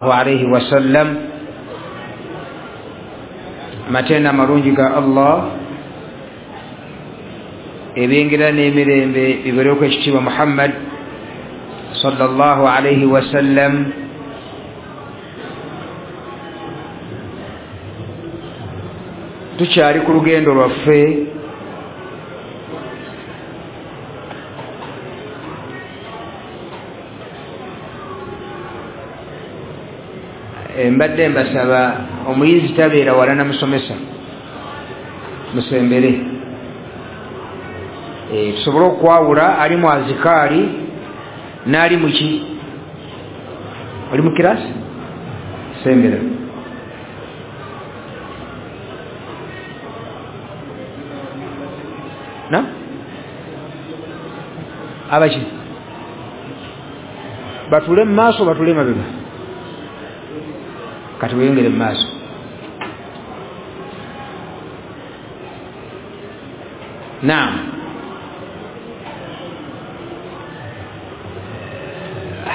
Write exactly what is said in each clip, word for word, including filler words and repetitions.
Alaihi wasallam. Matenda amalungi ga Allah, ebyengera n'emirembe bibeereko ekitiibwa Muhammad sallallahu alaihi wasallam. Tukyali ku lugendo lwaffe mbadde mbasaba omuyizi tabeera wala na musomesa, musembere e, tusobole okwawula ali mu azikaali n'ali muki oli mu kirasi. Sembera. Na abaki batule mu maaso, batule mabega, kati weyongere mu maaso. Naam,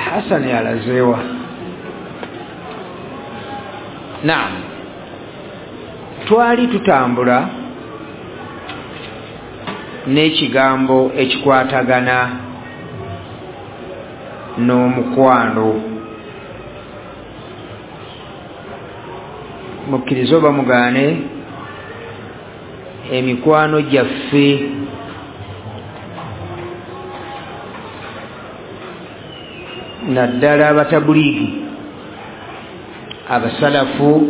Hasani alazewa. Naam, twali tutambula n'ekigambo ekikwatagana n'omukwano. Mukkirize oba mugaane, emikwano gyaffe naddala abatabuliigi, abasalafu,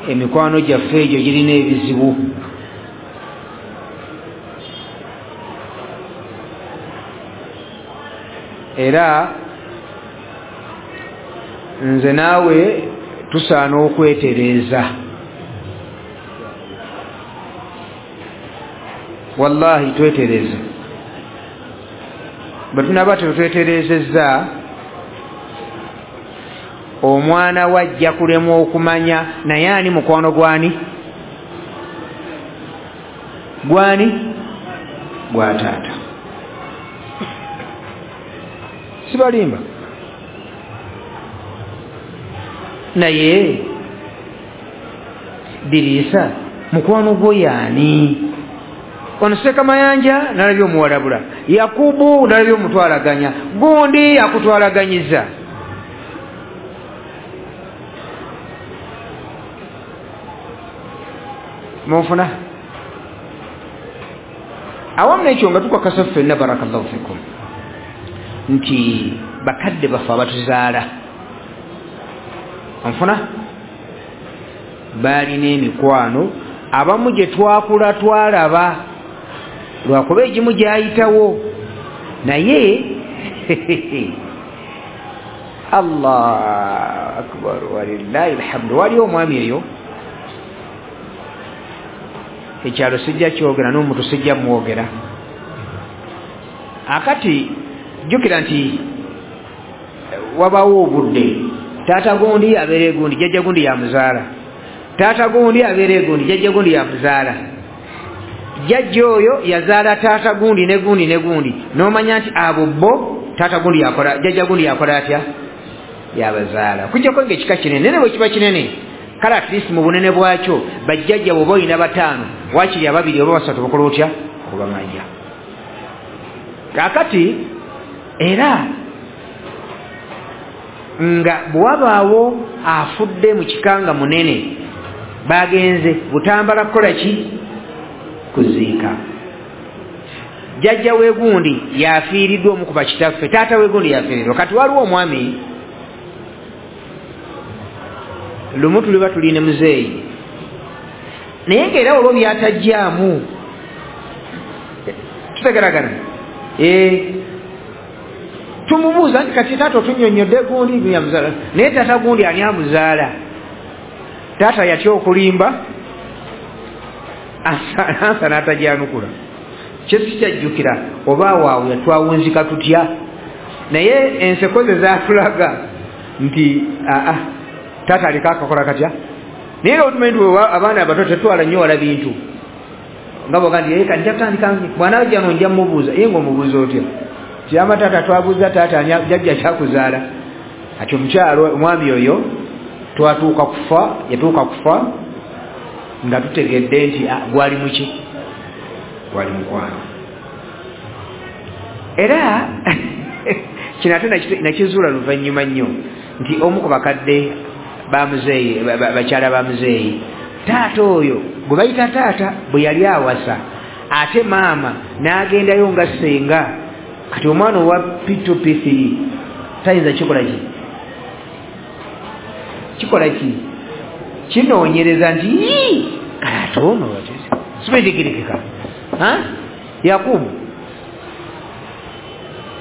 emikwano gyaffe egyo girina ebizibu. Era nze naawe tusaana okwetereeza. Wallahi twetereeze. Bwe tunaaba tetwetereezezza, omwana wajja kulemwa okumanya naye ani mukwano gwani gwani gwa taata. Sibalimba. Naye Dirisa mukwano gwo yaani? Ono Sekamayanja nalabye omuwalabula, Yakubu nalabye omutwalaganya, gundi akutwalaganyiza. Munfuna awamu n'ekyo nga tukakasa ffenna, barakallahu fikum, nti bakadde baffe abatuzaala, onfuna, baalina emikwano abamu gye twakula twalaba, lwakuba egimu gyayitawo. Naye Allah akbar, walillahi alhamdu. Waliwo omwami eyo ekyalo sijja kyogera n'omuntu sijja mwogera. Akati jjukira nti wabawo obudde taata gundi abeera egundi, jjajja gundi yamuzaala, taata gundi abeera egundi, jjajja gundi yamuzaala, jjajja oyo yazaala taata gundi ne gundi ne gundi, n'omanya nti abo bo taata gundi yakola, jjajja gundi yakola atya, yabazaala. Kujjako ng'ekika kinene, naye bwe kiba kinene kale at least mu bunene bwakyo bajjajja bw'oba olina bataano, waakiri ababiri oba basatu bakola otya obamanya. Kaakati era nga bw'wabaawo afudde mu kika nga munene, bagenze Butambala kukola ki? Kuziika. Jjajja wegundi yafiiriddwa omu ku bakitaffe, taata wegundi yafiiriddwa. Kati waliwo omwami lumu tuliba tuline muzeeyi, naye ng'era olwo byatajjaamu tutegeragana. Ee, tumubuuza nti kati taata otunnyonnyodde gundi yamuzaala, naye taata gundi ani amuzaala? Taata yatya okulimba, ansa n'atajyanukula. Kye sikyajjukira oba awaawo yatwawunzika tutya, naye enseko ze zaatulaga nti aa taata aliko akakola katya. Naye nga otumanyi nti abaana abato tetwala nnyo wala bintu, nga bwoga nti kati nja kutandika bw'anaajja no nja mmubuuza, ye ng'omubuuza otya? Kyama taata twabuuza taata jjajja kyakuzaala. Ati omukyalo omwami oyo twatuuka kufa, yatuuka kufa nga tutegedde nti gwali muki, gwali mukwano. Era kino ate nakizuula luvannyuma nnyo nti omu ku bakadde ba muzeeyi, bakyala ba muzeeyi, taata oyo gwe bayita taata bwe yali awasa, ate maama n'agendayo nga ssenga. Kati omwana owa P two P three tayinza kikola ki? Kikola ki? Kinoonyereza nti kale ono sibetegerekeka. Yakubu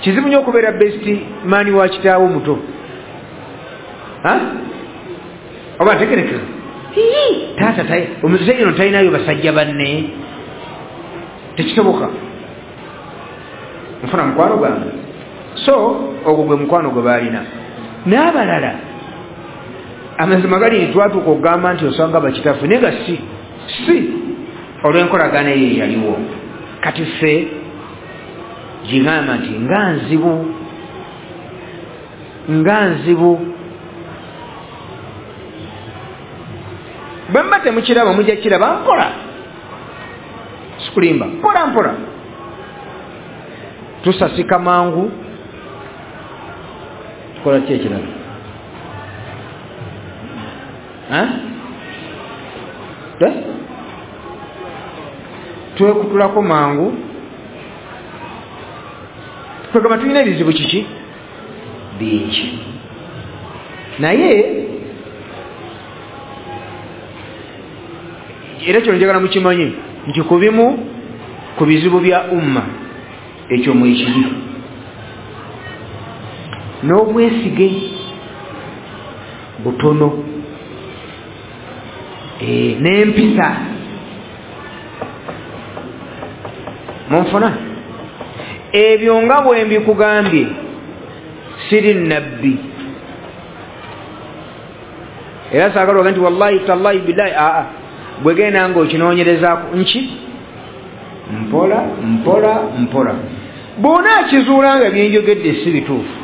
kizibu nnyo okubeera best man wa kitaawo muto. Oba ntegerekeka taata omuzeeyi ono talinayo basajja banne, tekisoboka. Nfuna mukwano gwange. So ogwo gwe mukwano gwe baalina. N'abalala amazima gali twatuuka okugamba nti osanga bakitaffe, naye nga si si olw'enkolagana eyo eyaliwo. Kati ffe gigamba nti nga nzibu, nga nzibu. Bwe mba temukiraba mujja kiraba mpola, sikulimba, mpola mpola. Tusasika mangu, tukola ki ekirala? Twekutulako mangu, kwegamba tulina ebizibu kiki bingi. Naye era kino njagala mukimanyi nti ku bimu ku bizibu bya umma ekyo mwekiri n'obwesige butono, e, n'empisa. Munfuna ebyo nga bwe mbikugambye siri nabbi, era saagala ogambe nti wallahi tallahi billahi. Aa, bwegenda nga okinoonyerezaako nki mpola mpola mpola, bw'onaakizuula nga byenjogedde si bituufu,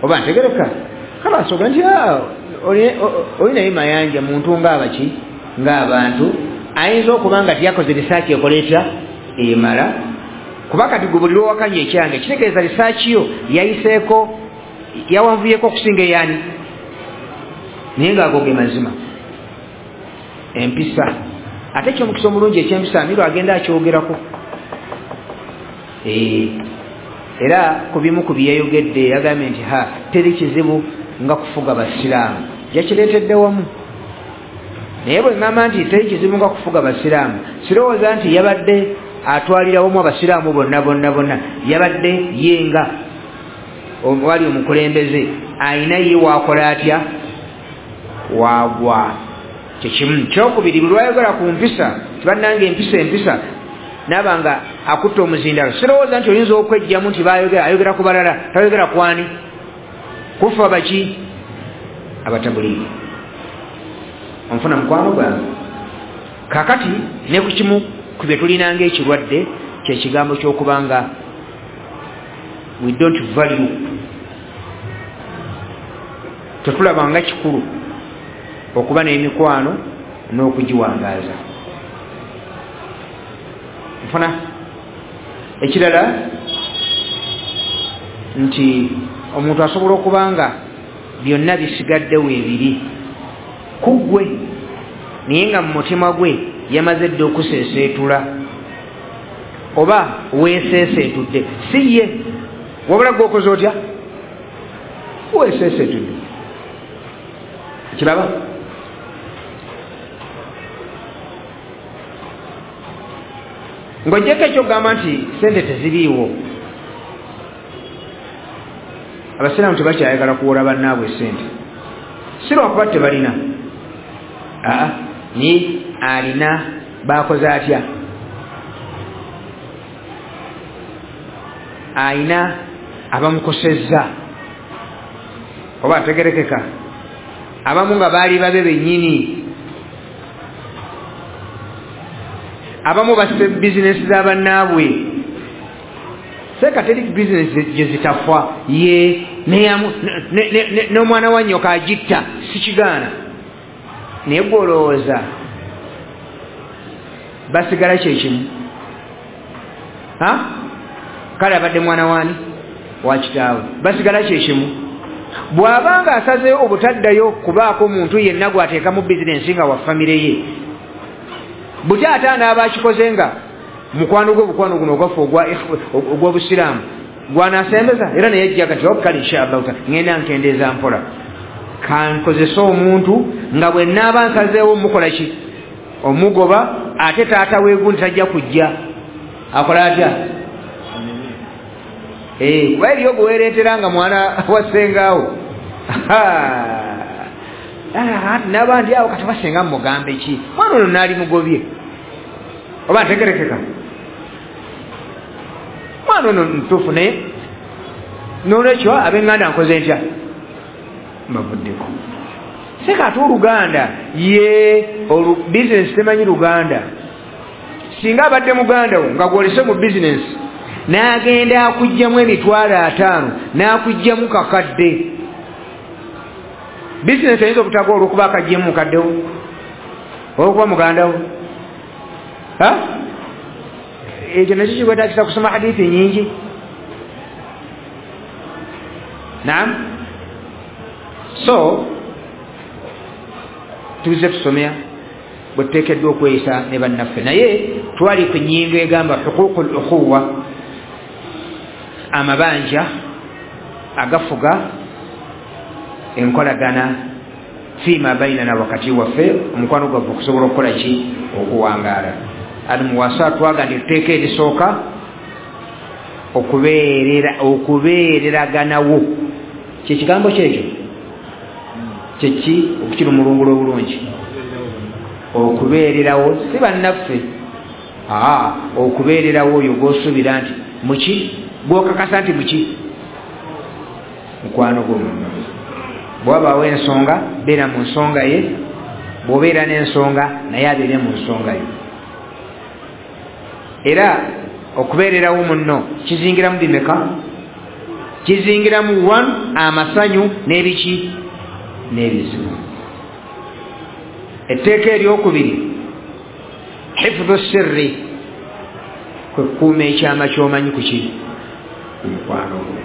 oba ntegereka kalasooka nti oli naye Mayanja muntu ng'abaki ng'abantu, ayinza okuba nga tiyakoze risaaki ekola etya emala. Kuba kati gwe buli lw'owakanya ekyange kitegeeza risaaki yo yayiseeko, yawanvuyeko okusinga eyani, naye ng'ago ge mazima. Empisa ate ekyomukisa omulungi ekyempisa Amiru agenda akyogerako. Era ku bimu ku byeyayogedde yagambye nti ha teri kizibu nga kufuga basiraamu, yakireetedde wamu. Naye bwe ŋŋamba nti teri kizibu nga kufuga basiraamu, sirowooza nti yabadde atwalira wamu abasiraamu bonna bonna bonna, yabadde ye nga wali omukulembeze ayina ye waakola atya waagwa. Kyekimu. Kyokubiri, buli lwayogera ku mpisa tibannange empisa empisa naaba nga akutta omuzindalo, sirowooza nti oyinza okwejjamu nti bayogera, ayogera ku balala, tayogera kwani kufa baki abatabuliiki. Onfuna mukwano gwange? Kakati ne ku kimu ku bye tulinanga ekirwadde kyekigambo ky'okubanga we don't value, tetulabanga kikulu okuba n'emikwano n'okugiwangaaza. Nfuna ekirala nti omuntu asobola okuba nga byonna bisigaddewo ebiri ku ggwe, naye nga mu mutima gwe yamaze dda okuseeseetula oba weeseeseetudde, si ye wabula gwe okoze otya, weeseeseetudde. Kiraba? Ng'oggyeko ekyokugamba nti sente teziriiwo, abasiraamu tebakyayagala kuwola bannaabwe sente, si lwakuba tebalina, aa naye alina baakoze atya, ayina abamukosezza oba ategerekeka, abamu nga baali babe bennyini, abamu basse bizinesi z'abannaabwe. Seka teri business gye zitafa ye n'omwana wa nyoka agitta, sikigaana. Naye gwe olowooza basigala kyekimu? Kale abadde mwana wani wa kitaawe, basigala kyekimu. Bw'abanga asazeeyo obutaddayo kubaako omuntu yenna gw'ateekamu bizinensi nga wa famire ye, buti ate anaaba akikoze nga mukwano gwe, obukwano guno ogwaffe ogw'obusiraamu gwanasembeza, era naye ajja kati kale inshallah ngenda nkendeeza mpola, kankozese omuntu nga bwe naaba nsazeewo mukola ki, omugoba, ate taata weegundi tajja kujja akola atya? Kuba eriyo gwewereetera nga mwana wa ssengaawo nabandi awo kati basenga mugambe ki, mwana ono naali mugobye oba ntegerekeka, mwana ono ntuufu. Naye nolwekyo ab'enganda nkoze ntya, mbavuddeko. Seka ate oluganda ye bizinesi temanyi luganda. Singa abadde muganda wo nga gwolese mu bizinesi n'agenda akugjamu emitwalo ataano n'akugjamu kakadde, bizinesi eyinza obutagwa olwokuba akaggyemu mukaddewo olwokuba muganda wo. Ekyo nakyo kikwetaagisa kusoma hadithi nyingi. Naam, so tuze tusomea bwe tuteekeddwa okweyisa ne bannaffe. Naye twali ku nnyingo egamba huququ l ukhuwa, amabanja agafuga enkolagana fiima bainana, wakati waffe omukwano gwaffe okusobola okukola ki, okuwangaala. Almuwasa twaga nti etteeka erisooka okubeerera okubeereraganawo, kyekigambo kyekyo kyeki okukira omulungulo obulungi, okubeererawo si bannaffe, aa okubeererawo oyo gw'osuubira nti muki, gw'okakasa nti muki mukwano gwo munno. Bw'abaawo ensonga beera mu nsonga ye, bw'obeera n'ensonga naye abeere mu nsonga ye. Era okubeererawo munno kizingiramu bimeka? Kizingiramu one, amasanyu n'ebiki n'ebizibu. Etteeka eryokubiri hifdhu sirri, kwe kukuuma ekyama ky'omanyi ku ki, ku mukwano gwo.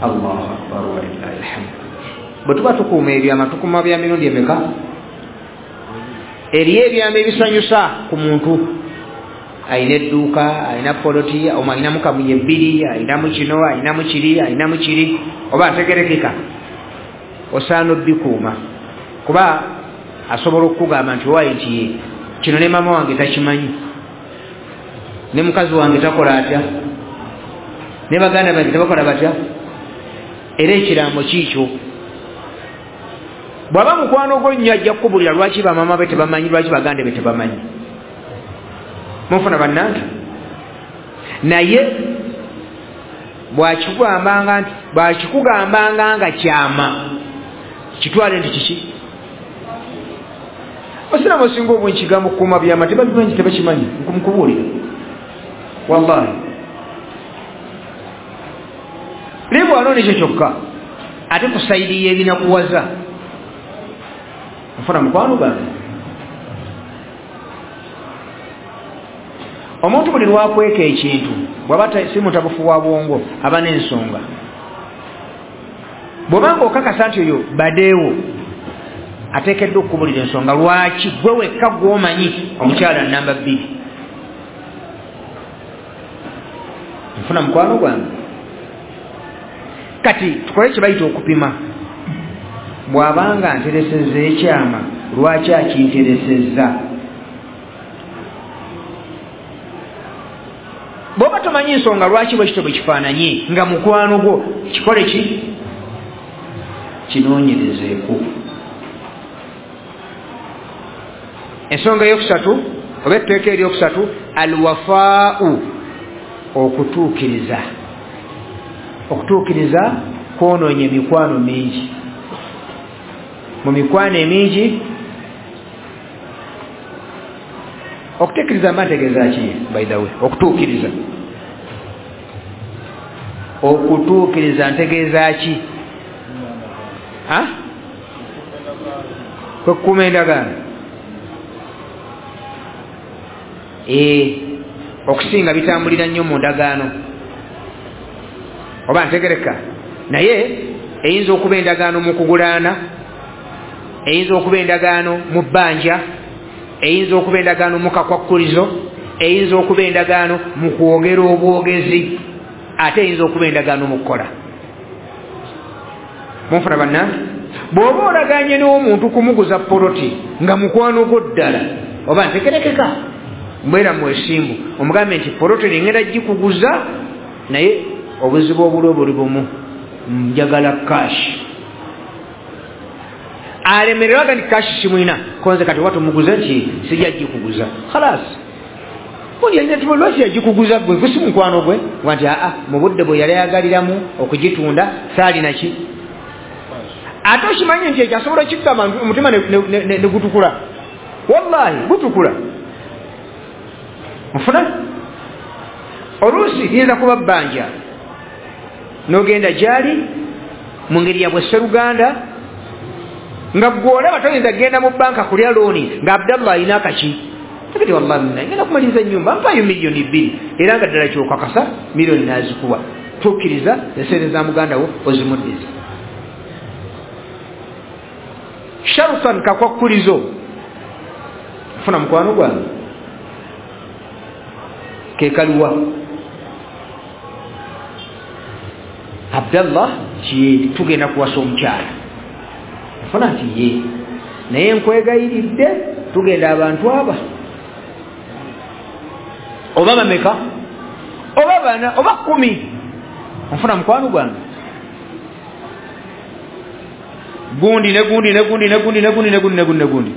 Allahu akbar walillahi alhamd. Bwe tuba tukuuma ebyama tukuuma bya mirundi emeka? Eriyo ebyama ebisanyusa ku muntu, ayina edduuka, ayina poloti, ayinamu kamunye bbiri, ayinamu kino, ayinamu kiri, ayinamu kiri, oba ategerekeka, osaana obbikuuma, kuba asobola okukugamba nti owaaye nti ye kino ne maama wange takimanyi, ne mukazi wange takola atya, ne baganda bange tebakola batya, era ekiraamo kiikyo. Bw'aba mukwano gwo nnyo ajja kukubulira lwaki bamaama be tebamanyi, lwaki baganda be tebamanyi. Munfuna bannange? Naye bw'akikugambanga nti bw'akikugambanga nga kyama, kitwale nti kiki? Basiraamu osinga obungi kigambo kukuuma byama tebabimanyi, tebakimanyi, nkubuulira wallahi. Naye bw'anoona ekyo kyokka ate ku sayidi y'ebinakuwaza, nfuna mukwano gange. Omuntu buli lwakweka ekintu bw'aba si mutabufu wa bwongo aba n'ensonga. Bw'obanga okakasa nti oyo badeewo ateekeddwa okukubulira ensonga lwaki gwe wekka gw'omanyi omukyala namba bbiri. Nfuna mukwano gwange. Kati tukole kye bayita okupima. Bw'abanga nteresezza ekyama lwaki akinteresezza? Bw'oba tomanyi nsonga lwaki bwe kityo bwe kifaananye nga mukwano gwo, kikole ki? Kinoonyerezeeko. Ensonga eyokusatu oba etteeka eryokusatu, alwafaau, okutuukiriza. Okutuukiriza kwonoonya emikwano mingi. Mu mikwano emingi Okuteekiriza mba ntegeeza ki by the way? Okutuukiriza, okutuukiriza ntegeeza ki? Kwekuuma endagaano. Ee, okusinga bitambulira nnyo mu ndagaano, oba ntegereka. Naye eyinza okuba endagaano mu kugulaana, eyinza okuba endagaano mu bbanja, eyinza okuba endagaano mu kakwakkulizo, eyinza okuba endagaano mu kwogera obwogezi, ate eyinza okuba endagaano mu kukola. Munfuna bannange? Bw'oba olaganye n'omuntu kumuguza poloti nga mukwano gwo ddala, oba ntegerekeka, mbeera mwesimbu, omugambe nti poloti ngenda gikuguza, naye obuzibu obuliwo buli bumu, njagala cash. Alemererwaga nti cash simwina, konze kati watumuguza nti sijja gikuguza, khalas. Lwaki yagikuguza gwe gwe si mukwano gwe? Nti aa, mu budde bwe yali ayagaliramu okugitunda saalina ki. Ate okimanyi nti ekyo asobola okikugamba omutima ne gutukula, wallahi gutukula. Nfuna oluusi liyinza kuba bbanja, n'ogenda gyali mu ngeri ya bwesseruganda, nga gw'olaba toyinza kugenda mu banka kulya looni nga Abdallah alina akaki takati, wallahi ngenda kumaliriza ennyumba mpayo miliyoni bbiri, era nga ddala kyokakasa miliyoni n'azikuwa. Tukkiriza esente za muganda wo ozimuddiza. Sharutan kakwakkulizo. Nfuna mukwano gwange kekaliwa Abdallah ki tugenda kuwasa omukyala, nfuna nti ye, naye nkwegayiridde tugenda abantu aba oba bameka oba bana oba kumi. Nfuna mukwano gwange gundi ne gundi ne gundi ne gundi ne gundi ne gundi ne gundi ne gundi,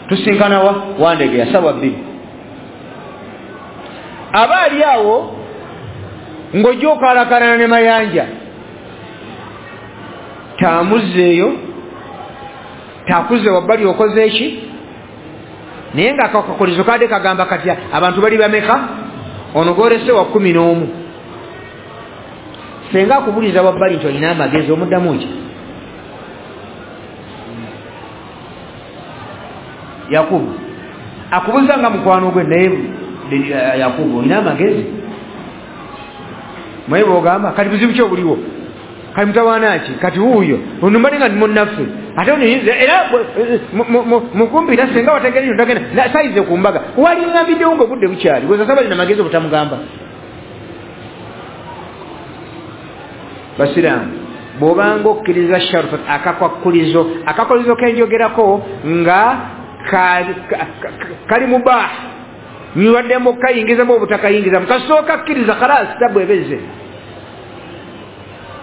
tusinkana wa Wandegeya sawa bbiri. Aba ali awo ng'ojja okalakalana ne Mayanja, tamuzzeeyo takuze wabbali okoze eki, naye nga akakulizo kadde kagamba katya abantu bali bameka, ono gwolese wa kkumi n'omu. Senga akubuliza wabbali nti olina amagezi, omuddamu ki? Yakubu akubuza nga mukwano gwe, naye Yakubu olina amagezi? Mwe bw'ogamba kati buzibu ki obuliwo, kati mutawaana ki, kati wuuyo ono mbadde nga ndi munnaffe, ate ono era mukumpira senga wategere ntagenda sayize ku mbaga waliŋŋambiddewo ng'obudde bukyali, gwezasaba lina magezi obutamugamba. Basiraamu, bw'obanga okkiriza sharuta akakwakkulizo, akakwakkulizo kenjogerako nga kali mubah, nyubaddemu okukayingizamu obutakayingizamu, kasooka kkiriza khalas tabu ebezze.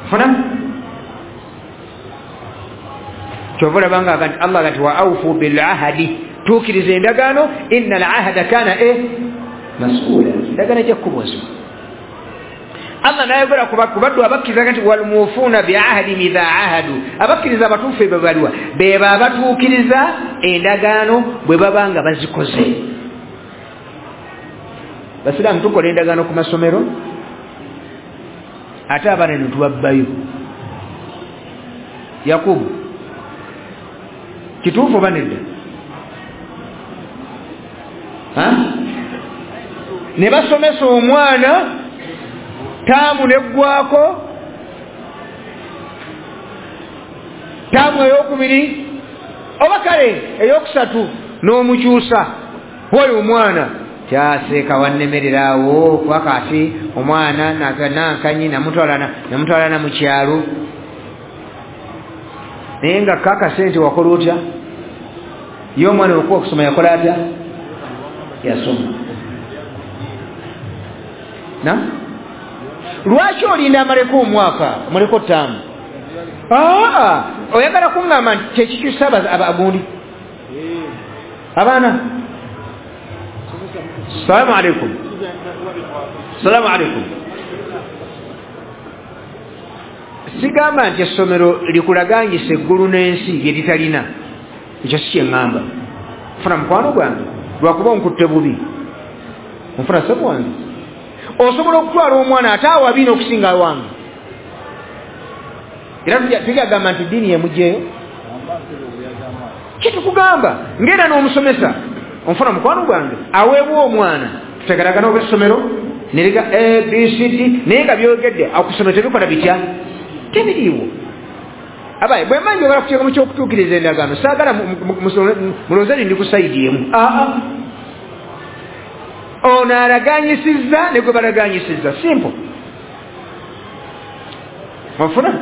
Funa kyova olaba nga Allah gati wa aufu bil ahadi, tuukiriza endagaano, inna al ahada kana e mas'ula, endagaano ejja kukubuuzibwa. Allah n'ayogera ku baddu abakkiriza nti walmufuuna bi ahadihim idha ahadu, abakkiriza abatuufu be baliwa beba abatuukiriza endagaano bwe baba nga bazikoze. Basiraamu tukola endagaano ku masomero, ate abaana ne tubabbayo. Yakubu kituufu oba nedda? Ne basomesa omwana taamu neggwako, taamu eyokubiri oba kale eyokusatu n'omukyusa oyo omwana kyaseeka wannemererawo kuba kati omwana nankanyi namutwalana mu kyalo, naye nga kakasente wakola otya? Ye omwana okuwa okusoma yakola atya? Yasoma. Na lwaki olinda amaleko omwaka amaleko ttaano? Aa, oyagala kuŋŋamba nti kyekikyusa abagundi abaana. Salamu alaikum, salamu alaikum. Sigamba nti essomero likulaganyisa eggulu n'ensi lye litalina, ekyo si kyeŋŋamba. Funa mukwano gwange, Lwakuba onkutte bubi. Onfuna sebo wange. Osobola okutwala omwana ate awabi n'okusinga wange. Era tujagamba nti ddiini yemugyeyo. Kitukugamba ngenda n'omusomesa onfuna mukwano gwange aweebwa omwana tutegeragana obwessomero neriga A B C D naye nga byogedde akusomero tebikola bitya tebiriiwo. Abaye bwe mmanyi obala kuteeka mu ky'okutuukiriza endagaano saagala mulowooze ndi ku sayidi emu. Aa ono alaganyisizza ne gwe balaganyisizza simple. Onfuna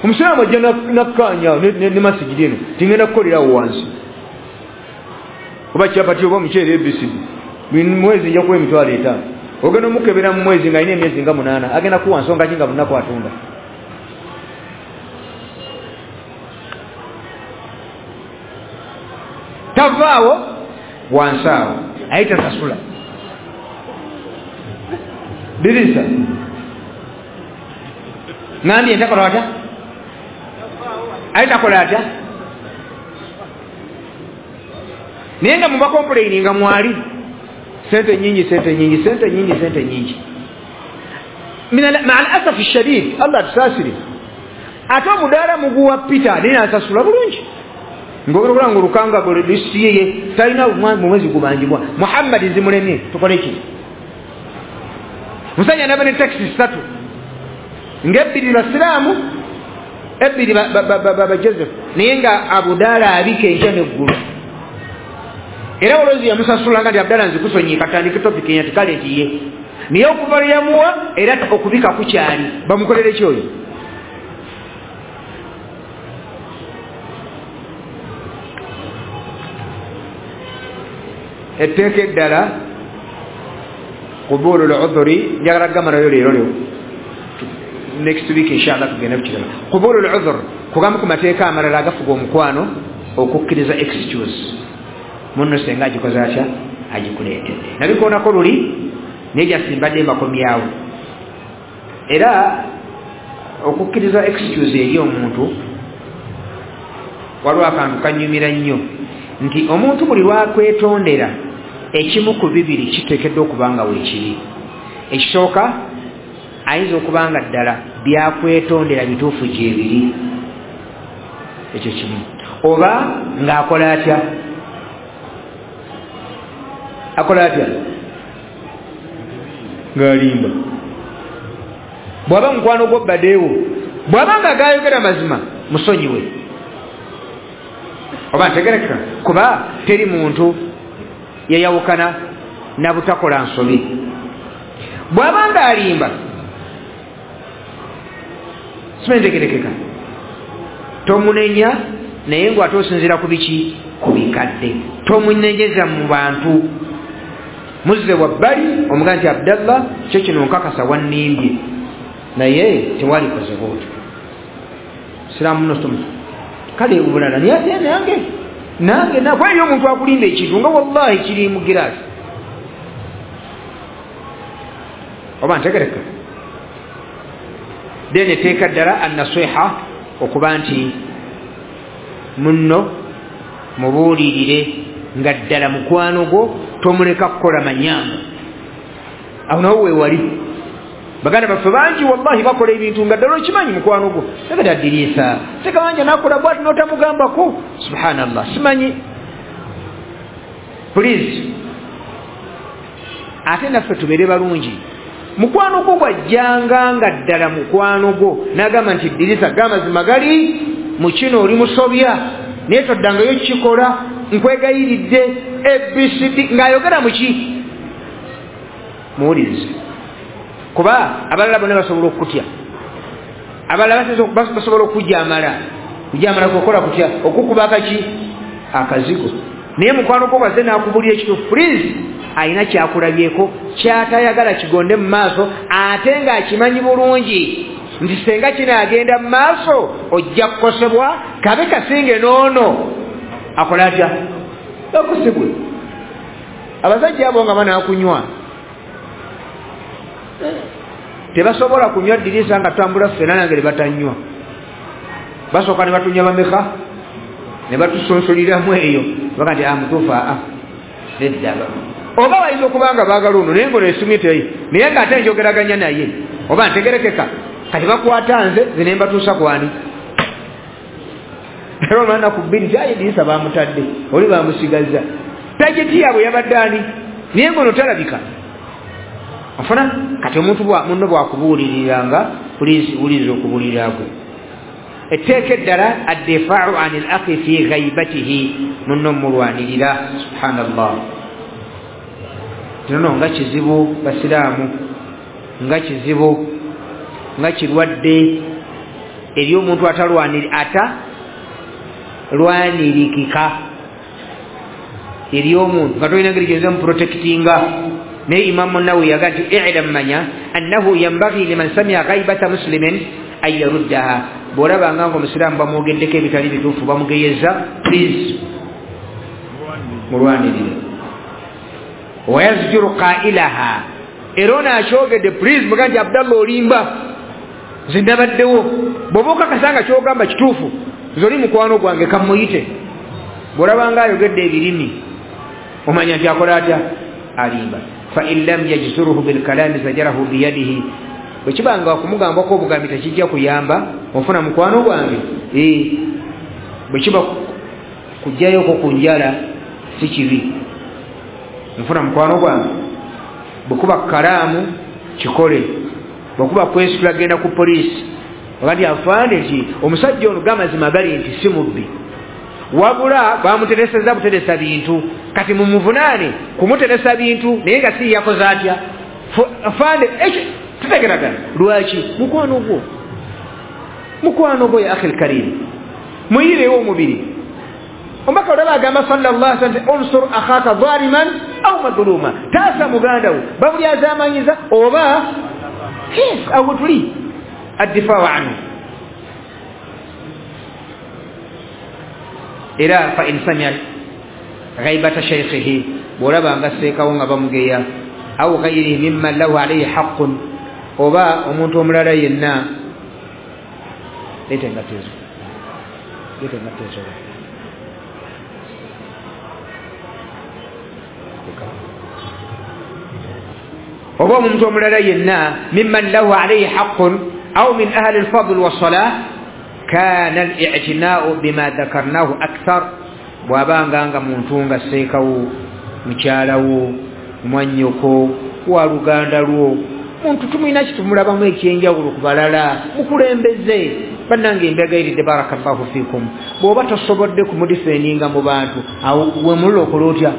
omusiraamu ajja nakkaanya ne masigidi eno tingenda kukolerawo wansi oba kyapati oba omuceere A B C D mwezi nja kuwa emitwalo etaano ogenda omukebera mu mwezi ng'alina emyezi nga munaana agenda kuwa nsonga ki nga bunaku atunda. Tavaawo wansi awo aye tasasula dirisa ngambye ntakola atya aye takola atya naye nga mubakomplaininga mwali sente nyingi sente nyingi sente nyingi sente nyingi. Maa al-asafi shadid Allah tusaasire ate omudaala muguwa Peter naye nasasula bulungi ng'ogera nga olukanga lisiye talina mu mwezi gubanjibwa Muhammad zimulemye tukole ki musajja naba ne taxi ssatu ng'ebbiri basiraamu ebbiri ba Joseph naye nga Abudala abika enkya n'eggulu era olwozi yamusasula nga nti Abdala nzikusonyiye katandike topic enya tikale nti ye naye okuva lwe yamuwa era okubika kukyali bamukolere ki oyo. Etteeka eddala qubulu l-udhuri njagala kugamalayo leero leo next week inshallah tugenda kukirala. Qubulu l-udhur kugamba ku mateeka amalala agafuga omukwano okukkiriza excuse munno senga agikoze atya agikuleetedde nabikoonako luli naye jasimbadde mbakomyawo. Era okukkiriza excuse eri omuntu waliwo akantu kanyumira nnyo nti omuntu buli lwakwetondera ekimu ku bibiri kiteekeddwa okuba nga weekiri. Ekisooka ayinza okuba nga ddala byakwetondera bituufu gyebiri ekyo kimu oba ng'akola atya akola atya ng'alimba. Bw'aba mukwano gwo baddeewo bw'aba nga gayogera mazima musonyiwe oba ntegerekeka kuba teri muntu yayawukana na butakola nsobi. Bw'aba ng'alimba simentegerekeka tomunenya naye ng'ate osinziira ku biki ku bikadde tomunenyeza mu bantu muzze wabbali omugaa nti Abdallah kyo kino nkakasa wannimbye naye tewalikoze bwotyo siraamu muno tomu kale obulala naye ate nange nange nakweri omuntu akulimba ekintu nga wallahi kiri mu giraasi oba ntegereka. Then etteeka ddala annasiha okuba nti munno mubuulirire nga ddala mukwano gwo tomuleka kukola manyanga. Awo nawo weewali baganda baffe bangi wallahi bakola ebintu nga ddala okimanyi mukwano gwo tegata ddirisa tekawanja nakola bwati n'otamugambako subhanallah simanyi please. Ate naffe tubeere balungi mukwano gwo gwajjanga nga ddala mukwano gwo n'agamba nti ddirisa g'amazima gali mu kino oli musobya naye toddangayo kukikola nkwegayiridde A B C D ng'ayogera mu ki muwulirize kuba abalala bonna basobola okukutya abalala basobola okujamala kujamala kukola kutya okukuba akaki akazigo naye mukwano gwo bwazze n'akubulira ekituufu please alina kyakulabyeko kyatayagala kigonde mu maaso ate ng'akimanyi bulungi nti senga kinaagenda mu maaso ojja kukosebwa kabe kasinge n'ono akola atya akosebwe. Abasajja abo nga banaakunywa tebasobola kunywa ddirisa nga tutambula ffenna nange ne batanywa basooka ne batunywa bameka ne batusonsoliramu eyo Baga nti amutuufu aa nedda. Oba bayinza okuba nga baagala ono naye ngono esimu teyi naye nga ate njogeraganya naye oba ntegerekeka. Kati bakwata nze nze ne mbatuusa kwani? Era olwana ku bbiri nti aye Dirisa bamutadde oli bamusigazza. Tajeti yaabwe yabadde ani? Naye ngono talabika. Ofuna kati omuntu munno bw'akubuuliriranga please wuliriza okubuulirira kwe. Etteeka eddala addifaau ani l akhi fi ghaibatihi, munno mulwanirira. Subhanallah. Kino nga kizibu basiraamu, nga kizibu, nga kirwadde eri omuntu atalwaniri ata lwanirikika eri omuntu nga tolina ngeri gy'oyinza muprotectinga. Naye Imamu Nawawi yaga nti i'lam manya annahu yanbaghi liman sami'a ghaibata muslimin an yaruddaha. Bw'olabanga nga omusiraamu bamwogeddeko ebitali bituufu bamugeyeza, please mulwanirire. Wayazjuru qailaha, era ono akyogedde please muga nti Abdallah olimba, nze ndabaddewo. Bw'oba okakasa nga kyogamba kituufu, nze oli mukwano gwange kamuyite. Bw'olabanga ayogedde ebirimi omanya nti akola atya? Alimba. Fa in lam yajzuruhu bilkalami zajarahu biyadihi, bwe kibanga okumugambako obugambi tekijja kuyamba, ofuna mukwano gwange. Bwe kiba kujjayoko ku njala si kibi, nfuna mukwano gwange. Bwe kuba kalaamu kikole, bwe kuba kwesitula genda ku poliisi wakati afande nti omusajja ono gamazima gali nti si mubbi, wabula bamutereseza buteresa bintu, kati mumuvunaane kumuteresa bintu naye nga si yakoze atya. Afande ekyo tutegeragana. Lwaki? Mukwano gwo, mukwano gwo ya akhil karim, muyirewo omubiri. Omubaka olaba agamba sallallahu alaihi wasallam unsur akhaka zaliman au madhluma, taasa muganda wo bamulyazamanyiza oba yes awo tuli addifaa anhu. Era fa in samia ghaibata shaykhihi, bw'olaba nga seekawo nga bamugeya, au ghairihi mimman lahu alayhi haqqun, oba omuntu omulala yenna. Leeta engatto ezo, leeta engatto ezo. Oba omuntu omulala yenna mimman lahu alayhi haqqun au min ahli alfadl wassalah kana al-i'tina'u bima dhakarnahu akthar. Bw'abanga nga muntu nga seekawo, mukyalawo, mwannyoko, waluganda lwo, muntu tumulina kitumulabamu ekyenjawulo ku balala, mukulembeze. Bannange embegayiridde barakallahu fikum, bw'oba tosobodde kumudifendinga mu bantu awo wemulula okola otya?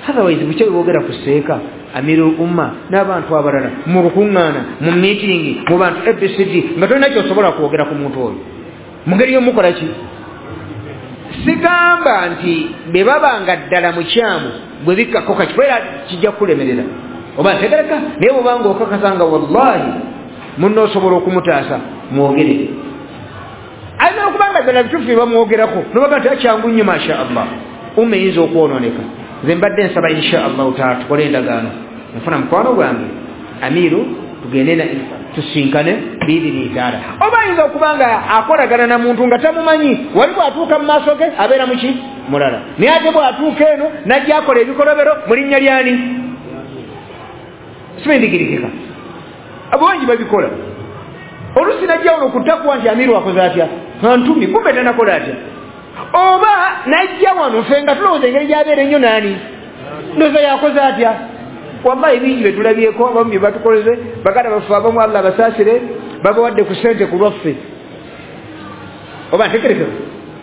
Otherwise bukye bwogera ku seeka amirul umma n'abantu abalala mu lukuŋŋaana, mu meeting, mu bantu A B C D, nga tolina kyosobola kwogera ku muntu oyo mu ngeri y'omukola ki? Sigamba nti bwe baba nga ddala mukyamu bwe bikkako kakikwera kijja kukulemerera oba ntegereka, naye bw'obanga okakasa nga wallahi munno osobola okumutaasa mwogerere. Alina okuba nga ddala bituufu bye bamwogerako nobaga nti akyangu nnyo masha Allah, umma eyinza okwonooneka. Nze mbadde nsaba insha Allahu taala tukole endagaano, nfuna mukwano gwange amiru tugende tusinkane biidini taala. Oba ayinza okuba nga akolagana na muntu nga tamumanyi, wali bw'atuuka mu maaso ge abeera muki mulala, naye ate bw'atuuka eno najja akola ebikolobero mu linnya lyani? Simendigirikika. Abangi babikola. Oluusi najja wano kutakuwa nti amiru akoze atya, antumi kumbe tanakola atya. Oba najja wano ffe nga tulowooza engeri gy'abeera ennyo naani ndowooza yakoze atya. Wallahi bingi bye tulabyeko, abamu bye batukoleze, baganda baffe abamu Allah abasaasire babawadde ku ssente ku lwaffe. Oba ntegerekeka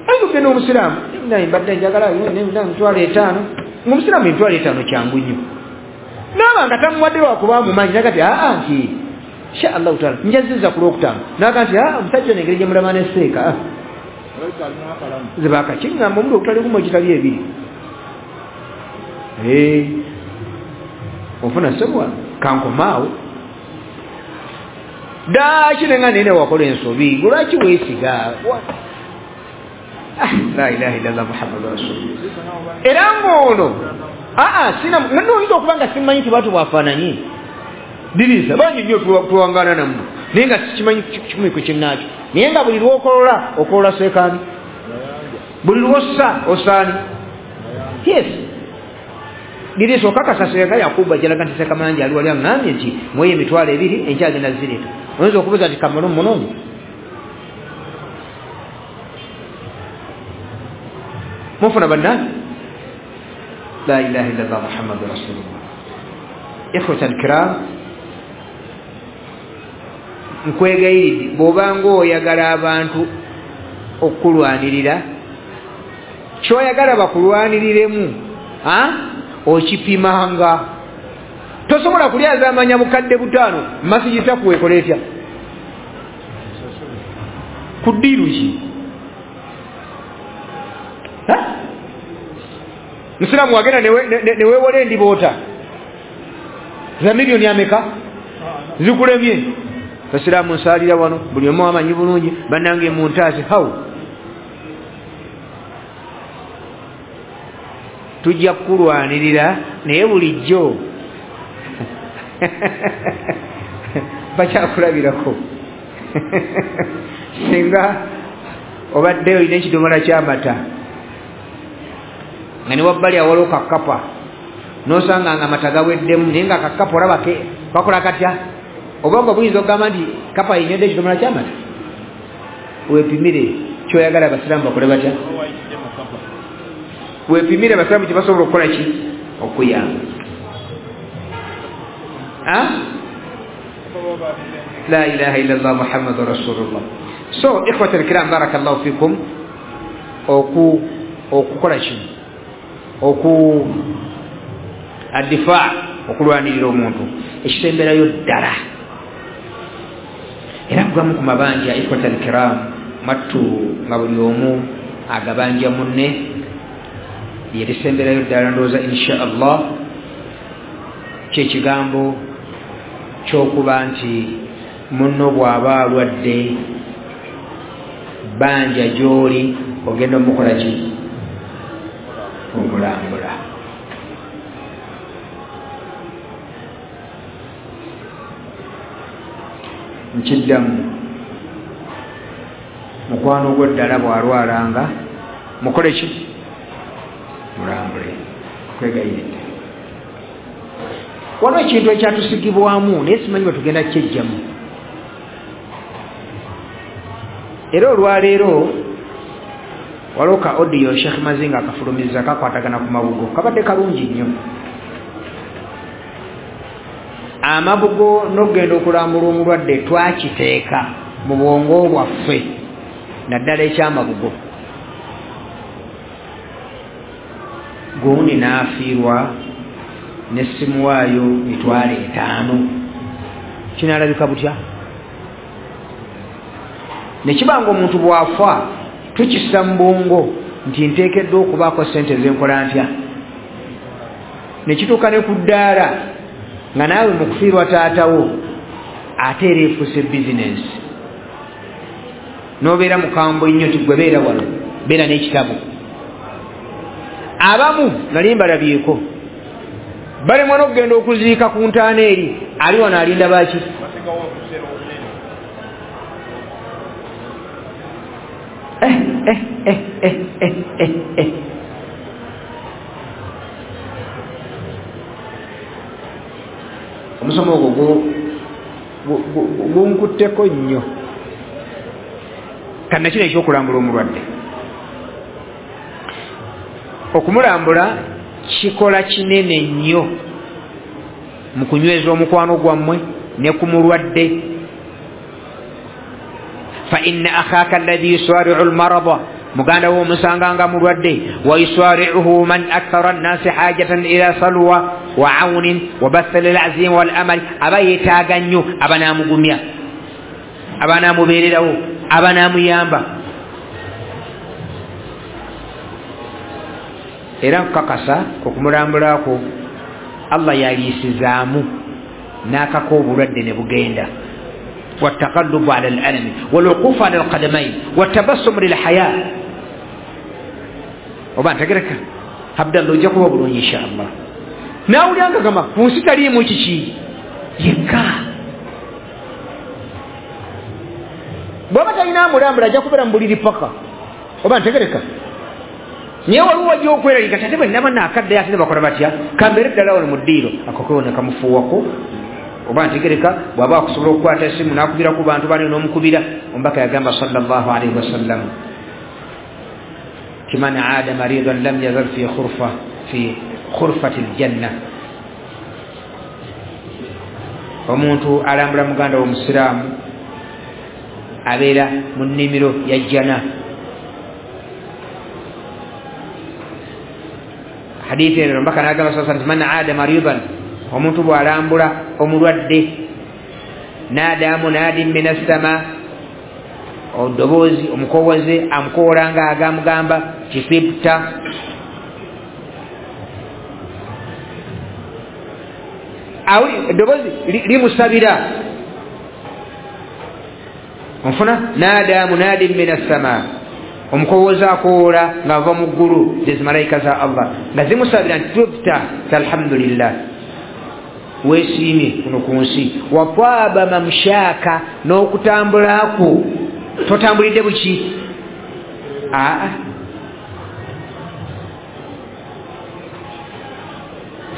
ayinza okugenda omusiraamu naye mbadde njagala emitwalo etaano, ng'omusiraamu emitwalo etaano kyangu nnyo, naaba nga tamuwadde lwakuba amumanyi naga ti aa nti insha Allahu taala njaziza ku lwokutaano, naga nti aa omusajja ono engeri gye mulaba ne seeka nze baakakiŋŋamba omuli ogutali gumu egitali ebiri. Ofuna sebwa kankomaawo ddaaki nenga nene wakola ensobi lwaki weesiga? La ilaha illallah Muhammadu rasulullah. Era ng'ono aa sina noyinza okuba nga simanyi nti bantu bwafaananyi Dirisa bangi nnyo tuwangaana nammwe naye nga sikimanyi kikumi ku kinnaakyo, naye nga buli lw'okolola okolola seekaani Buli lwossa osaani. Yes. Liriiso okakasa senga Yakubu ajalaga nti Sekamayanja ali wali aŋŋambye nti mweyo emitwalo ebiri enkya agenda zireeta. Oyinza okubuuza nti kamala omunoonye? Mufuna bannange? La ilaha illallah Muhammadu Rasulullah. Ikhwata alkiram, nkwegayiridde bw'obanga oyagala abantu okukulwanirira, ky'oyagala bakulwaniriremu okipimanga. Tosobola kulyazaamanya bukadde butaano masigi takuweekola etya? Ku ddiiru ki? Musiraamu wagenda neweewola endiboota za miliyoni ameka zikulemye. Basiraamu nsaalira wano buli omu amanyi bulungi bannange muntaase. Hawu tujja kukulwanirira naye bulijjo bakyakulabirako. Singa obadde olina ekidomola ky'amata nga ne wabbali awaliwo kakapa n'osanga nga amata gaweddemu naye nga kakapa olaba kakola katya, obwongo buyinza okugamba nti kapa yenywedde ekidomola ky'amata. Weepimire ky'oyagala abasiraamu bakole batya? Weepimire abasiraamu kye basobola okukola ki? Okuyamba. La ilaha illallah Muhammadu Rasulullah. So ikhwata alkiram, barakallahu fikum, oku okukola kino oku addifa okulwanirira omuntu ekisemberayo ddala. Era kugamu ku mabanja ikhwata alkiram mattu nga buli omu agabanja munne yerisemberayo ddala ndowooza insha Allah kyekigambo ky'okuba nti munno bw'aba alwadde banja gy'oli ogenda omukola ki? Omulambula. Nkiddamu, mukwano gwo ddala bw'alwalanga mukole ki? Mulambule. Kwegayiridde. Waliwo ekintu ekyatusigibwamu naye simanyi bwe tugenda kyejjamu. Era olwaleero waliwo ka audio Sheikh Mazinga akafulumiza kakwatagana ku mabugo, kabadde kalungi nnyo. Amabugo n'okugenda okulambula omulwadde twakiteeka mu bwongo bwaffe naddala ekyamabugo. Gundi n'afiirwa n'essimuwaayo mitwalo etaano. Kinaalabika butya? Ne kiba nga omuntu bw'afa tukissa mu bwongo nti nteekeddwa okubaako ssente zenkola ntya, ne kituuka ne ku ddaala nga naawe mu kufiirwa taatawo ate era efuuse bizinensi n'obeera mukambwe nnyo nti gwe beera wano beera n'ekitabo. Abamu nali mbalabyeko balemwa n'okugenda okuziika ku ntaana eri ali wano alinda baki? Eh, eh, eh, eh, eh, eh, eh. Omusomo ogwo gunkutteko nnyo. Kannakino ekyokulambula omulwadde, okumulambula kikola kinene nnyo mu kunyweza omukwano gwammwe ne ku mulwadde. Fa inna akhaka alladhi yusari'u almarada, muganda wo omusanga nga mulwadde, wa yusari'uhu man akthara an-nasi hajatan ila salwa wa 'awnin wa bathal al-'azim wal amal, aba yeetaaga nnyo abanaamugumya, abanaamubeererawo, abanaamuyamba. Era nkukakasa okumulambulako Allah yaliisizaamu n'akaka obulwadde ne bugenda. والتقلب على الألم والوقوف على القدمين والتبسم للحياة. oba ntegereka Abdallah ojja kuba bulungi insha Allah. Naawulira nga gamba ku nsi taliimu kiki yekka. Bw'aba talina amulambula ajja kubeera mu buliri paka. Oba ntegereka Naye waliwo wajja okweralika ate bwe naba naakaddeyo ate ne bakola batya, kambeere ddala wano mu ddiiro akokewo ne kamufuuwako oba ntegereka. Bw'aba akusobola okukwata essimu n'akubira ku bantu bane n'omukubira. Omubaka yagamba sallallahu alaihi wasallam ti man aada maridan lam yazal fi khurfa fi khurfati ljanna, omuntu alambula muganda w'omusiraamu abeera mu nnimiro ya jjana. Hadithi eno omubaka n'agamba sallallahu alaihi wasallam man aada maridan, omuntu bw'alambula omulwadde, naada munadin min assama, oddoboozi omukowoze amukoola nga agamugamba kisibta. Eddoboozi limusabira onfuna, naada munadin min assama, omukowoze akoola ng'ava mu ggulu, zezimalayika za Allah nga zimusabira nti tubta, alhamdulillah, weesiimye kuno ku nsi. Watwaba mamshaaka, n'okutambulako totambulidde buki? Aa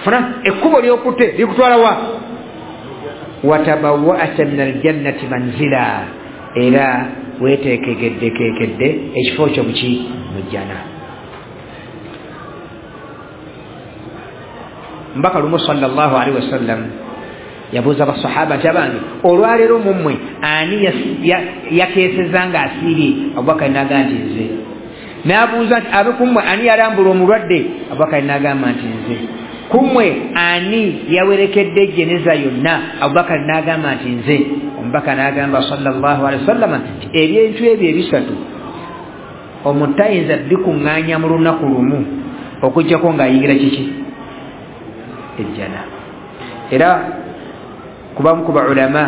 funa ekkubo lyokutte likutwala wa? Watabawwa'ta min aljannati manzila, era weeteekekeddekekedde ekifo kyo muki? Mu jjana. Mbaka lumu sallallahu alaihi wasallam yabuuza basahaba nti abange olwaleero mummwe ani yakeeseza nga asiibye? Abubakari n'agamba nti nze. N'abuuza nti abe kummwe ani yalambula omulwadde? Abubakari n'agamba nti nze. Kummwe ani yawerekedde jeneza yonna? Abubakari n'agamba nti nze. Omubaka n'agamba sallallahu alaihi wasallam nti ebintu ebyo ebisatu omuntu tayinza bikuŋŋaanya mu lunaku lumu okuggyako ng'ayingira kiki? Ejjana. Era kubamu ku baulama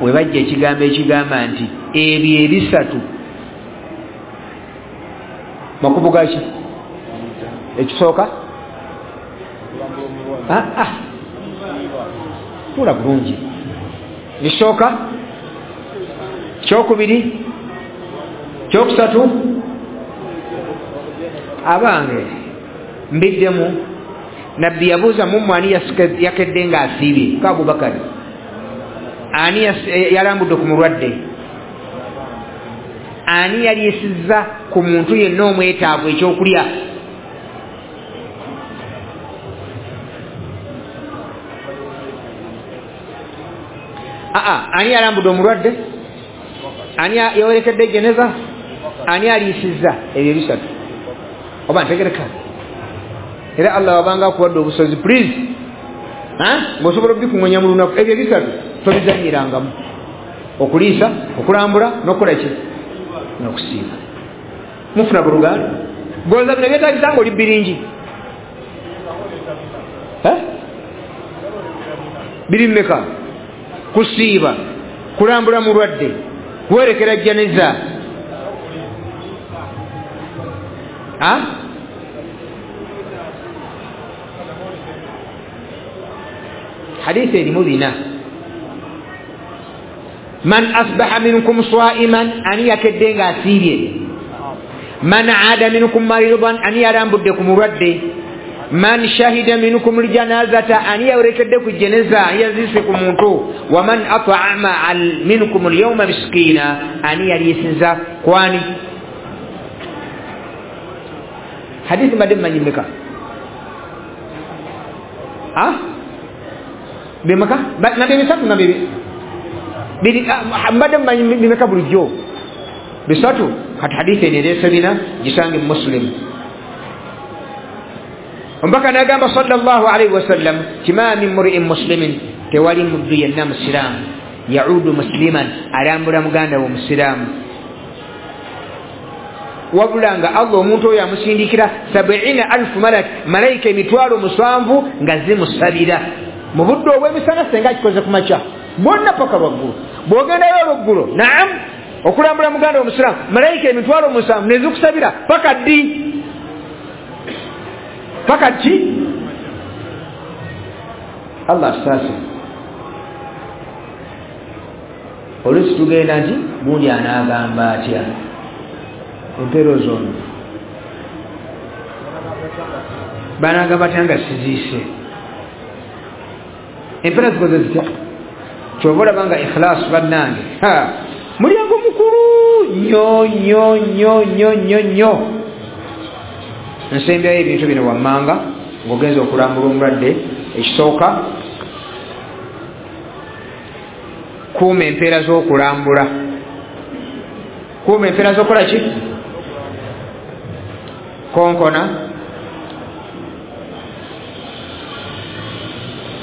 we bajja ekigambo ekigamba nti ebyo ebisatu makubo gaki? Ekisooka ah, ah. Tula bulungi. Ekisooka, kyokubiri, kyokusatu. Abange mbiddemu, Nabbi yabuuza mummwe ani yakedde nga asiibye? Ka Abubakari. Ani yalambudde ku mulwadde? Ani yaliisizza ku muntu yenna omwetaavu ekyokulya? Aa, ani yalambudde omulwadde? Ani yawerekedde jeneza? Ani aliisizza? Ebyo ebisatu oba ntegereka. Era Allah wabanga akuwadde obusozi, please ng'osobola obikuŋŋanya mu lunaku, ebyo ebisatu tobizanyirangamu: okuliisa, okulambula, n'okukola ki? N'okusiiba. Mufuna buluganda goza bino byetagisa ng'oli biringi biri mmeka? Kusiiba, kulambula mulwadde, kuwerekera janeza. Hadithi erimu bina. Man asbaha minkum saiman, ani yakedde nga asiibye? Man aada minkum maridan, ani yalambudde ku mulwadde? Man shahida minkum ljanazata, ani yawerekedde ku jeneza, ani yaziise ku muntu? Waman at'ama minkum alyawma miskina, ani yaliisiza kwani? Hadithi mbadde mmanyi mmeka? Bimeka? Nabye bisatu nabye biri mbadde mmanyi bimeka bulijjo? Bisatu. Kati hadithi eno ereese bina, gisange mu Muslim. Omubaka n'agamba sallallahu alaihi wasallam ti ma min muri'in muslimin, tewali muddu yenna musiraamu yaudu musliman, alambula muganda we omusiraamu, wabula nga Allah omuntu oyo amusindikira sabiina alfu malak, malayika emitwalo musanvu nga zimusabira mu budde obw'emisana, senga akikoze ku makya bwonna paka lwaggulo. Bw'ogendayo olweggulo, naam, okulambula muganda omusiraamu, malayika emitwalo musanvu nezikusabira paka ddi? Paka ki? Allah atusaasire. Oluusi tugenda nti gundi anaagamba atya empeero zonna. Banagamba batya nga siziise? Empeera zikoze zitya? Kyova olaba nga ikhlaasu bannange mulyango mukulu nnyo nnyo nnyo nnyo nnyo nnyo. Nsembyayo ebintu bino wammanga ng'ogenza okulambula omulwadde. Ekisooka, kuuma empeera z'okulambula. Kuuma empeera z'okukola ki? Konkona,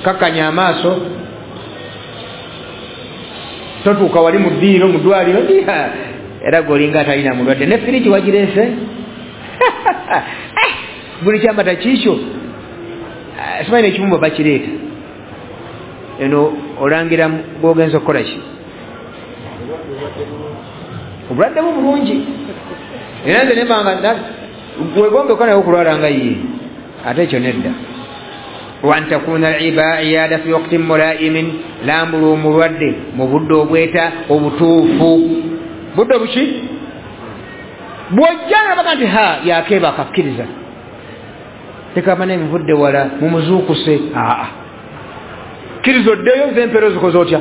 kakkanya amaaso, totuuka wali mu ddiiro mu ddwaliro era gweolinga atalina mulwadde, ne firiji wagireese buli kyamata kiikyo, simanyi n'ekibumba bakireeta. Eno olangira gwogenza okukola ki? Obulwadde bwo bulungi. Era nze nembanga wegombeko naye okulwala nga ye, ate ekyo nedda. Wa an takuna al-iyada fi waqtin mulaimin, lambula omulwadde mu budde obweta obutuufu. Budde buki? Bw'ojja nabaga nti ha yakeebaka, akkiriza tekaba nenvudde wala mumuzuukuse, aa kkiriza oddeyo nze empeera ozikoze otya?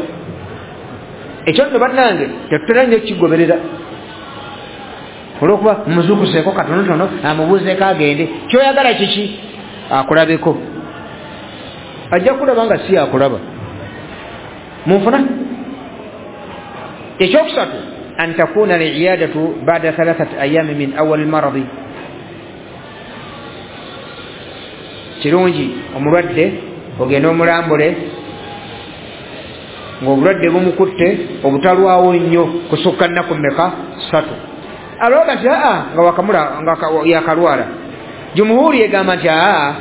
Ekyo nno bannange tetutera nnyo kigoberera olwokuba mumuzuukuseeko katonotono amubuuzeeko agende. Kyoyagala kiki? Akulabeko. Ajja kulaba nga si akulaba. Munfuna? Ekyokusatu, an takuna al-iyadatu ba'da thalathati ayami min awal maradi. Kirungi omulwadde ogende omulambule ng'obulwadde bumukutte obutalwawo nnyo kusukka nnaku mmeka? Ssatu. Alowooza nti aa nga wakamula nga yakalwala. Jumuhuri egamba nti aa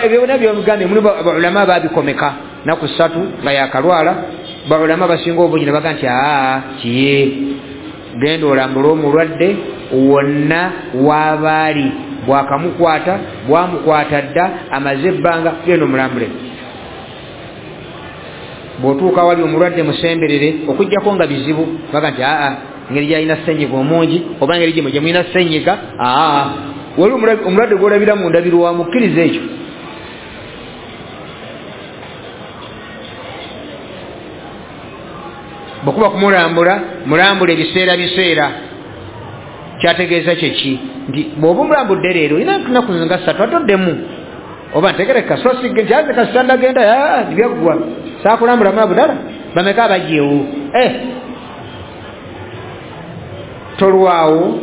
ebyo byonna byomugambye mulimu baulama babikomeka nnaku ssatu nga yakalwala. Baulama basinga obungi ne bagamba nti aa kiye, genda olambule omulwadde wonna w'abaali, bwakamukwata bwamukwata dda amaze ebbanga, genda omulambule. Bw'otuuka wali omulwadde musemberere, okuggyako nga bizibu baga nti aa engeri gy'alina ssenyiga omungi oba engeri gye gye mulina ssenyiga, aa wali omulwadde gw'olabira mu ndabirwamu, kkiriza ekyo. Bwekuba kumulambula, mulambula ebiseera biseera. Kyategeeza kyeki? Nti bw'oba omulambudde leero olina ennaku nga ssatu atoddemu, oba ntegereka so sigge nti aze kasita ndagenda byaggwa saakulambula mulabu ddala bameka abajjeewo. Tolwawo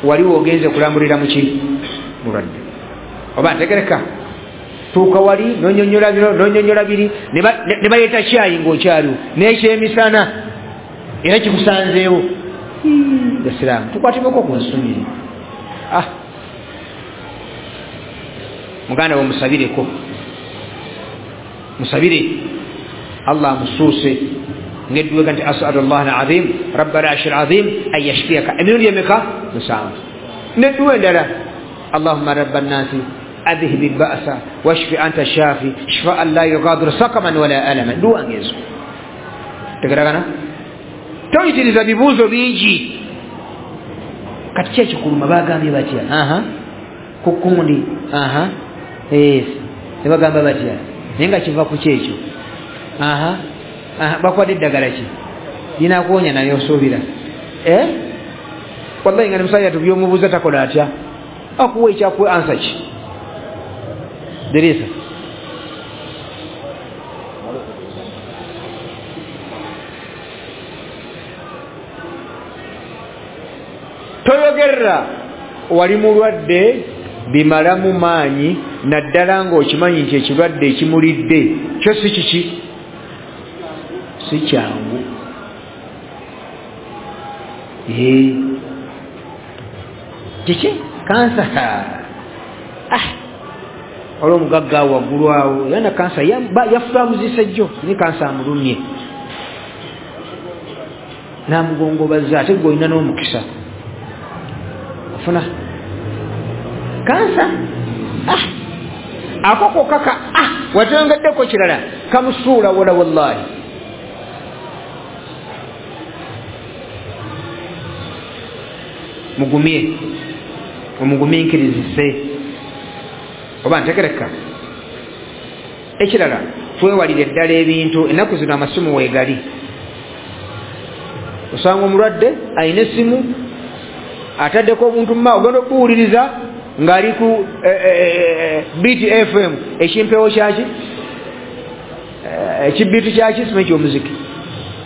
wali wogenze kulambulira muki? Mulwadde. Oba ntegereka tuuka wali nonyonyola bino nonyonyola biri ne baleeta kyayi ng'okyaliwo n'ekyemisana era kikusanzeewo. Basiraamu tukwatibweko ku nsumire. Ah, muganda we musabireko, musabire Allah amusuuse ngedduwega nti as'alu Allah al-azim rabbal arshil azim an yashfiyaka emirundi emeka? Musanvu. Nedduwa endala Allahumma rabban nasi adhhib al-ba'sa washfi anta shafi shifaan la yughadiru saqaman wala alaman. Dduwa ngezo tegeragana. Toyitiriza bibuuzo bingi. Kati ki ekikuluma bagambye batya? Aha, ku kundi aha, yes, ne bagamba batya? Naye nga kiva ku kyekyo. Aha, aha, bakwadde eddagala ki linakuwonya naye osuubira? Eh, wallahi nga ne musajja tubyomubuuza takola atya? Akuwa ekyakuwa ansa ki? Dirisa toyogerera wali mulwadde bimalamu maanyi, naddala ng'okimanyi nti ekirwadde ekimulidde kyo si kiki? Si kyangu. Kiki? Kansa. Ah, olw'omugagga awo waggulu awo yana kansa yafa amuzisa jjo ne kansa amulumye n'amugongobaza, ate gwe olina n'omukisa ofuna kansa. Ah, ako kokka ka ah watongeddeko kirala kamusuula wala wallahi. Mugumye, omugumiikirizise. Oba ntegereka. Ekirala, twewalire ddala ebintu. Ennaku zino amasimu weegali, osanga omulwadde alina essimu ataddeko obuntu muma, ogenda okubuwuliriza ng'ali ku B T F M, ekimpewo kyaki, ekibiitu kyaki, simanyi ky'omuziki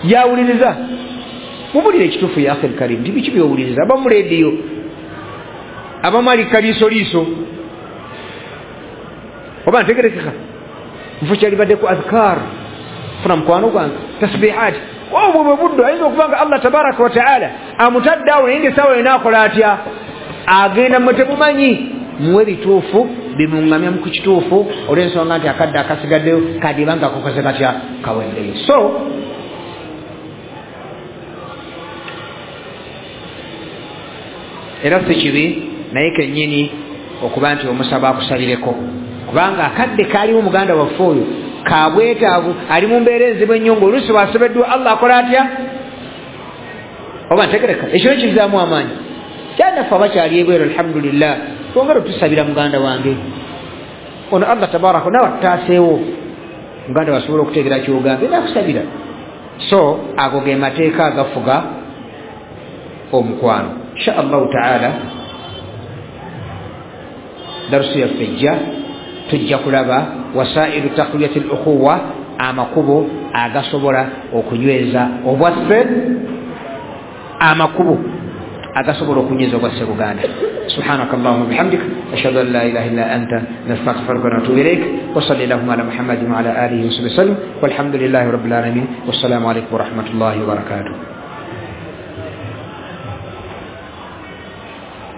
yawuliriza. Mubulire ekituufu ya akhil karim, nti biki byowuliriza? Abamu rediyo, abamu ali kaliisoliiso. Oba ntegerekeka, nfu kyalibadde ku adhkar, funa mukwano gwange tasbihat. Obwo bwe buddo ayinza okuba nga Allah tabaraka wa taala amutadde awo, naye ngaessaawa yonna akola atya? Agenda mmwe temumanyi. Muwe bituufu bimuŋŋamya ku kituufu, olw'ensonga nti akadde akasigaddeyo kadiba nga kakoze katya, kaweddeyo. So era si kibi naye kennyini okuba nti omusaba akusabireko, kubanga akadde kaaliwo muganda waffe oyo kabwetaavu, ali mu mbeera enzibu ennyo, ng'oluusi bw'asobeddwa Allah akola atya? Oba ntegereka, ekyo kizaamu amaanyi. Kyanaffe abakyali ebweru alhamdulillah, twongere otusabira muganda wange ono, Allah tabaraka nawe atutaaseewo, muganda wasobola okutegeera kyogambye nakusabira. So ago ge mateeka agafuga omukwano. Insha Allahu taala darusu yaffe ejja tujja kulaba wasailu taqwiyati al-ukhuwa, amakubo agasobola okunyweza obwaffe, amakubo agasobola okunyweza obwaffe Buganda. Subhanaka Allahumma bihamdik, ashhadu an la ilaha illa anta, nastaghfiruka wa natubu ilayk, wa salli ala Muhammadin wa ala alihi wa sahbihi wasallam, walhamdulillahi rabbil alamin, wassalamu alaykum wa rahmatullahi wa barakatuh.